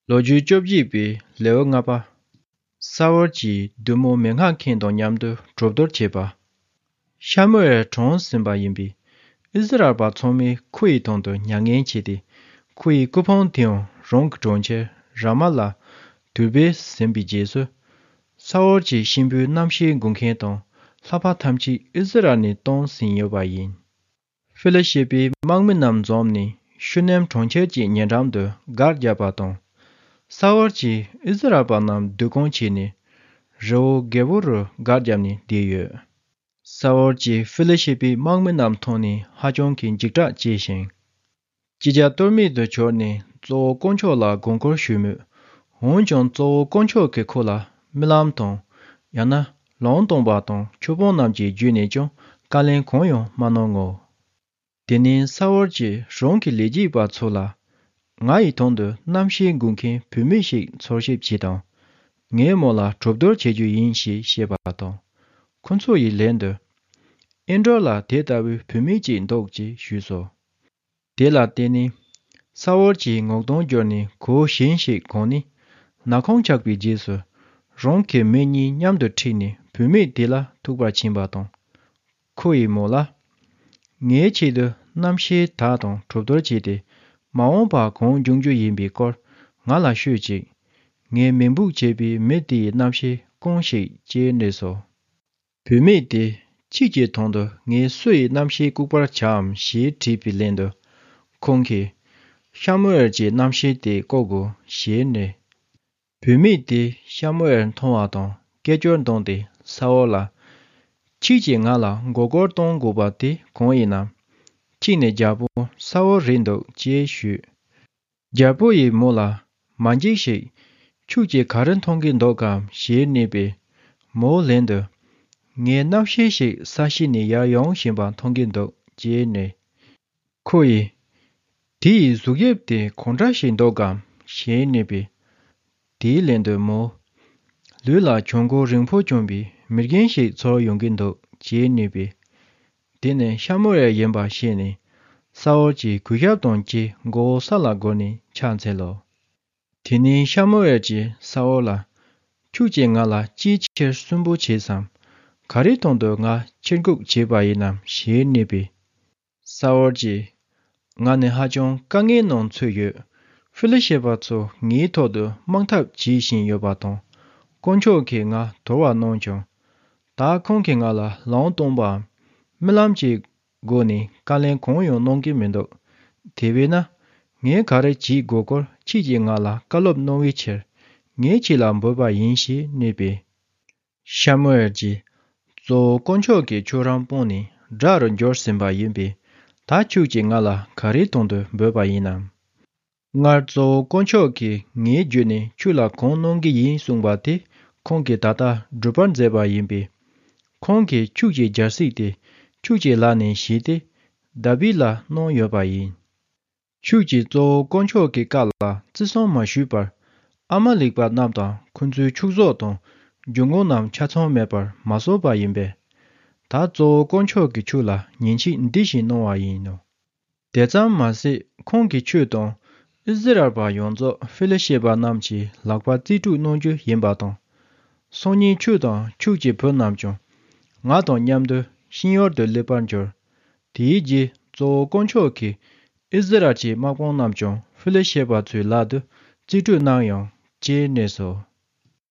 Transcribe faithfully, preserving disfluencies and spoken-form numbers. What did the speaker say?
ལོ་རྒྱུས་བཅོ་བརྒྱད་པའི་ལེའུ་ལྔ་པ། ས་ཨོལ་གྱི་བདུད་མོ་མེ་སྔགས་མཁན་དང་མཉམ་དུ་གྲོས་བསྡུར་བྱས་པ། ཤ་མུ་ཨེལ་གྲོངས་ཟིན་པ་ཡིན་པས། ཨིསི་རཱཨེལ་པ་ཚང་མས་ཁོ་ཡི་དོན་དུ་མྱ་ངན་བྱས་ཏེ། ཁོ་ཡི་སྐུ་ཕུང་དེའང་རང་གི་གྲོང་ཁྱེར་ར་མ་ལ་དུར་སྦས་ཟིན་པའི་རྗེས་སུ། ས་ཨོལ་གྱི་གཤིན་པོའི་རྣམ་ཤེས་འགུག་མཁན་དང་ལྷ་པ་ཐམས་ཅད་ཨིསི་རཱཨེལ་ནས་བཏང་ཟིན་ཡོད་པ་ཡིན། ཧྥི་ལི་ཤེ་པའི་དམག་མི་རྣམས་འཛོམས་ནས་ཤུ་ནེམ་གྲོང་ཁྱེར་གྱི་ཉེ་འགྲམ་དུ་སྒར་བརྒྱབ་པ་དང་། ས་ཨོལ་གྱིས་ཨིསི་རཱཨེལ་པ་རྣམས་བསྡུ་སྐོང་བྱས་ནས། རི་བོ་གེ་བོ་རུ་སྒར་བརྒྱབ་ནས་བསྡད་ཡོད། ས་ཨོལ་གྱིས་ཧྥི་ལི་ཤེ་པའི་དམག་མི་རྣམས་མཐོང་ནས་ཧ་ཅང་གི་འཇིགས་སྐྲག་སྐྱེས་ཤིང་། ཅི་བྱ་གཏོལ་མེད་དུ་གྱུར་ནས་གཙོ་བོ་དཀོན་མཆོག་ལ་དགོངས་སྐོར་ཞུས་མོད། འོན་ཀྱང་གཙོ་བོ་དཀོན་མཆོག་གིས་ཁོ་ལ་རྨི་ལམ་དང་། ཡང་ན་ལུང་སྟོན་པ་དང་ཆོས་དཔོན་རྣམས་ཀྱི་བརྒྱུད་ནས་ཀྱང་བཀའ་ལན་གང་ཡང་མ་གནང་ངོ་། དེ་ནས་ས་ཨོལ་གྱིས་རང་གི་ལས་བྱེད་པ་ཚོ་ལ། ང་ཡི་དོན་དུ་རྣམ་ཤེས་འགུག་མཁན་བུད་མེད་ཞིག་འཚོལ་ཞིབ་བྱེད་དང་། ངའི་མོ་ལ་གྲོས་བསྡུར་བྱེད་རྒྱུ་ཡིན་ཞེས་བཤད་པ་དང་། ཁོ་ཚོ་ཡི་ལན་དུ། ཨིན་ཌོར་ལ་དེ་ལྟ་བུའི་བུད་མེད་ཅིག་འདུག་ཅེས་ཞུས་སོ། དེ་ལ་བརྟེན་ནས། ས་ཨོལ་གྱིས་ངོ་གདོང་བསྒྱུར་ནས་གོས་གཞན་ཞིག་གོན་ནས། ནག་ཁུང་ཆགས་པའི་རྗེས་སུ། རང་གི་མི་གཉིས་མཉམ་དུ་ཁྲིད་ནས་བུད་མེད་དེ་ལ་ཐུག་པར་ཕྱིན་པ་དང་། ཁོ་ཡི་མོ་ལ། ངའི་ཆེད་དུ་རྣམ་ཤེས་དག་དང་གྲོས་བསྡུར་བྱས་ཏེ། མ་འོངས་པ་གང་འབྱུང་རྒྱུ་ཡིན་པའི་སྐོར་ང་ལ་ཤོད་ཅིག་ངས་མེ་འབུད་བྱས་པའི་མི་དེ་ཡི་རྣམ་ཤེས་སྐོང་ཞིག་ཅེས་སྨྲས་སོ། བུད་མེད་དེ། ཁྱེད་ཀྱི་དོན་དུ་ངས་སུ་ཡི་རྣམ་ཤེས་བཀུག་པར་བྱའམ་ཞེས་དྲིས་པའི་ལན་དུ། ཁོང་གིས། ཤ་མུ་ཨེལ་གྱི་རྣམ་ཤེས་དེ་བཀུག་དགོས་ཞེས་སྨྲས། བུད་མེད་དེས་ཤ་མུ་ཨེལ་མཐོང་བ་དང་སྐད་ཅོར་བརྡུངས་ཏེ་ས་ཨོལ་ལ། ཁྱེད་ཀྱིས་ང་ལ་མགོ་སྐོར་གཏོང་དགོས་པ་དེ་གང་ཡིན་ནམ། གཅིག་ནས་རྒྱལ་པོ་ས་ཨོལ་རེད་འདུག་ཅེས་ཞུས། རྒྱལ་པོ་ཡིས་མོ་ལ། མ་འཇིགས་ཤིག་ཁྱོད་ཀྱིས་ག་རེ་མཐོང་གི་འདུག་གམ་ཞེས་སྨྲས་པས། མོའི་ལན་དུ། ངས་རྣམ་ཤེས་ཤིག་ས་གཞི་ནས་ཡར་ཡོང་བཞིན་པ་མཐོང་གི་འདུག་ཅེས་སྨྲས། ཁོ་ཡིས། དེ་ཡི་གཟུགས་དབྱིབས་དེ་གང་འདྲ་ཞིག་འདུག་གམ་ཞེས་སྨྲས་པས། དེའི་ལན་དུ་མོ། ལུས་ལ་གྱོན་གོས་རིང་པོ་གྱོན་པའི་མི་རྒན་ཞིག་ཚོར་ཡོང་གི་འདུག་ཅེས་སྨྲས་པས། དེ་ནི་ཤ་མུ་ཨེལ་ཡིན་པ་ཤེས་ནས། ས་ཨོལ་གྱིས་གུས་ཞབས་དང་བཅས་མགོ་བོ་ས་ལ་སྒུར་ནས་ཕྱག་འཚལ་ལོ། དེ་ནས་ཤ་མུ་ཨེལ་གྱིས་ས་ཨོལ་ལ། ཁྱོད་ཀྱིས་ང་ལ་ཅིའི་ཕྱིར་གསོན་པོ་བྱས་སམ། ག་རེའི་དོན་དུ་ང་ཕྱིར་འགུག་བྱས་པ་ཡིན་ནམ་ཞེས་སྨྲས་པས། ས་ཨོལ་གྱིས། ང་ནི་ཧ་ཅང་དཀའ་ངལ་ནང་ཚུད་ཡོད། ཧྥི་ལི་ཤེ་པ་ཚོ་ངའི་ཐོག་ཏུ་དམག་འཐབ་བྱེད་བཞིན་ཡོད་པ་དང་། དཀོན་མཆོག་གིས་ང་དོར་བ་གནང་བྱུང་། ད་ཁོང་གིས་ང་ལ་ལུང་སྟོན་པའམ། རྨི་ལམ་གྱི་སྒོ་ནས་བཀའ་ལན་གང་ཡང་གནང་གི་མི་འདུག་དེ་བས་ན། ངས་ག་རེ་བྱེད་དགོས་སྐོར་ཁྱེད་ཀྱིས་ང་ལ་བཀའ་སློབ་གནང་བའི་ཕྱིར། ངས་ཁྱེད་ལ་འབོད་པ་ཡིན་ཞེས་སྨྲས་པས། ཤ་མུ་ཨེལ་གྱིས། གཙོ་བོ་དཀོན་མཆོག་གིས་ཁྱོད་རང་སྤངས་ནས་དགྲ་རུ་འགྱུར་ཟིན་པ་ཡིན་པས། ད་ཁྱོད་ཀྱིས་ང་ལ་ག་རེའི་དོན་དུ་འབོད་པ་ཡིན་ནམ། སྔར་གཙོ་བོ་དཀོན་མཆོག་གིས་ངའི་བརྒྱུད་ནས་ཁྱོད་ལ་གང་གནང་གི་ཡིན་གསུངས་པ་དེ་ཁོང་གིས་ད་ལྟ་འགྲུབ་པར་མཛད་པ་ཡིན་པས། ཁོང་གིས་ཁྱོད་ཀྱི་རྒྱལ་སྲིད་དེ་ཁྱོད་ཀྱི་ལག་ནས་བཞེས་ཏེ། དཱ་བིད་ལ་གནང་ཡོད་པ་ཡིན། ཁྱོད་ཀྱིས་གཙོ་བོ་དཀོན་མཆོག་གི་བཀའ་ལ་བརྩི་སྲུང་མ་ཞུས་པར། ཨ་མ་ལེག་པ་རྣམས་དང་ཁོ་ཚོའི་ཕྱུགས་ཟོག་དང་། རྒྱུ་དངོས་རྣམས་ཆ་ཚང་མེད་པར་མ་བཟོ་བ་ཡིན་པས། ད་གཙོ་བོ་དཀོན་མཆོག་གིས་ཁྱོད་ལ་ཉེས་ཆད་འདི་བཞིན་གནང་བ་ཡིན་ནོ། དེ་ཙམ་མ་ཟད་ཁོང་གིས་ཁྱོད་དང་། ཨིསི་རཱཨེལ་པ་ཡོངས་རྫོགས་ཧྥི་ལི་ཤེ་པ་རྣམས་ཀྱི་ལག་པར་རྩིས་སྤྲོད་གནང་རྒྱུ་ཡིན་པ་དང་། སང་ཉིན་ཁྱོད་དང་ཁྱོད་ཀྱི་བུ་རྣམས་ཀྱང་། ང་དང་མཉམ་དུ་ཤིང་ཡོར་དུ་སླེབས་པར་འགྱུར། དེའི་རྗེས་གཙོ་བོ་དཀོན་མཆོག་གིས་ཨིསི་རཱཨེལ་གྱི་དམག་དཔུང་རྣམས་ཀྱང་ཧྥི་ལི་ཤེ་པ་ཚོའི་ལག་ཏུ་རྩིས་སྤྲོད་གནང་ཡོང་ཅེས་སྨྲས་སོ།